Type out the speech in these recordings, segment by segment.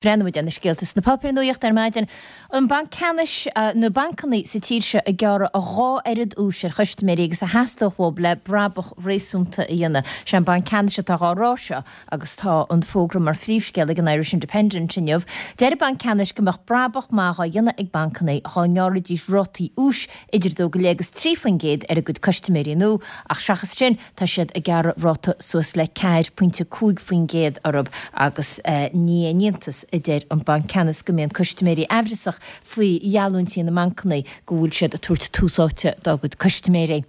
Breathnóidh muid ar na scéalta sna páipéir nuachta ar maidin. An Banc Ceannais, na bancanna sa tír seo ag gearradh a dhá oiread úis ar chustaiméirí agus a theastódh uathu le brabach réasúnta a dhéanamh. Sé an Banc Ceannais atá dhá rá seo agus tá an fógra mar phríomhscéal ag an Irish Independent inniu. Deir an Banc Ceannais go mbeadh brabach maith dhá dhéanamh ag bancanna dhá ngearrfaidís rátaí úis idir 2.5 agus 3% ar a gcuid custaiméirí nua ach seachas sin Tá siad ag gearradh ráta suas le 4.5% orthu agus ní haon iontas, a deir an Banc Ceannais, go mbíonn custaiméirí aimhreasach faoi gheallúintí na mbancanna go bhfuil siad ag tabhairt tús áite dá gcuid custaiméirí.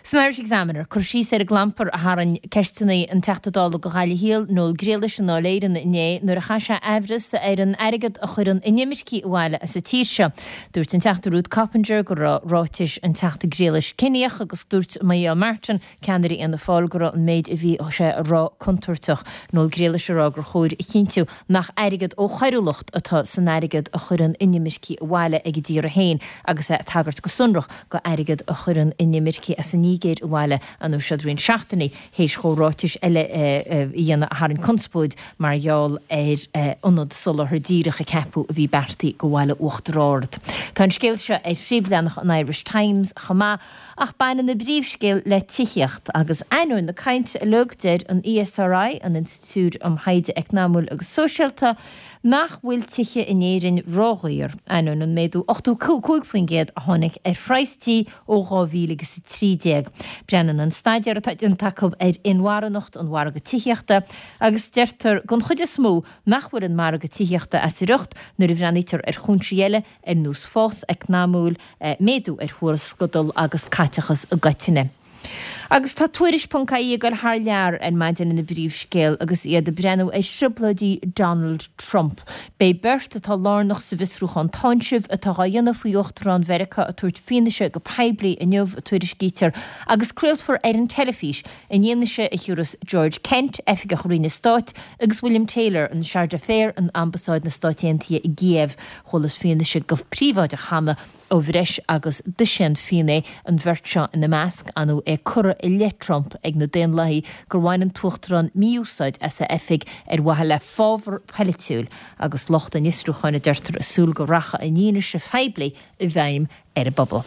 San Irish Examiner, cur síos ar an gclampar a tharraing ceisteanna an Teachta Dála do Ghaillimh Thiar, Noel Grealish i nDáil Éireann inné nuair a chaith sé aimhreas ar an airgead a chuireann inimircigh abhaile as an tír seo. Dúirt an Teachta Ruth Coppinger go raibh ráitis an Teachta Grealish ciníoch agus dúirt Micheál Martin, ceannaire Fhianna Fáil, go raibh an méid a bhí sé a rá contúirteach. Noel Grealish ag rá gur chóir a chinntiú nach airgead ó choiriúlacht atá san airgead a chuireann inimircigh abhaile ag a dtíortha féin agus é ag tagairt go sonrach go airgead a chuireann inimircigh as an Nigéir abhaile an siad roinnt seachtainí théis dhó ráitis eile a dhéanamh a tharraing conspóid mar gheall ar ionad soláthair díreach a ceapadh a bhí beartaithe go bhaile Uachtar Ard. Tá an scéal seo ar phríomhleathanach an Irish Times chomh maith, ach baineann an bpríomhscéal le tithíocht agus ainneoin na cainte uilig, deir an ESRI, an Institiúid um Thaighde Eacnamúil agus Sóisialta, nach bhfuil tithe in Éirinn ródhaor, ainneoin an méadú 85% a tháinig ar phraghas tí ó 2013. Breathnaíonn an staidéar atá déanta acu ar inmharthanacht an mhargaidh tithíochta agus deirtear den chuid is mó nach bhfuil an margadh tithíochta as a riocht nuair a bhreathnaítear ar chúinsí eile ar nós fás eacnamúil, méadú ar thuarascadal agus caiteachas i gcoitinne. Agus tá Tuairisc ponc ie ag dul thar lear ar maidin ina bpríomhscéal agus iad ag breathnú ar thrioblóidí Donald Trump. Beidh beirt atá lárnach sa bhfiosrúchán táinsimh atá dhá dhéanamh faoi Uachtarán Mheiriceá ag tabhairt fianaise go poiblí inniu, a tuairiscítear, agus craolfar ar an teilifís an fhianaise a thiúrfas George Kent, oifigeach Roinne Stáit, agus William Taylor, an Chargé d'Affaires in Ambasáid na Stáit Aontaithe i gCíév. Chualathas fianaise go príobháideach cheana ó bhreis agus dosaen finné, an bheirt seo ina measc, ann é curtha i leith Trump ag na Daonlathaigh gur bhain an tUachtarán mí-úsáid as a oifig ar mhaithe le fabhar polaitiúil agus lucht an fhiosrúcháin, a deirtear, ag súil go rachaidh an fhianaise phoiblí i bhfeidhm ar an bpobal.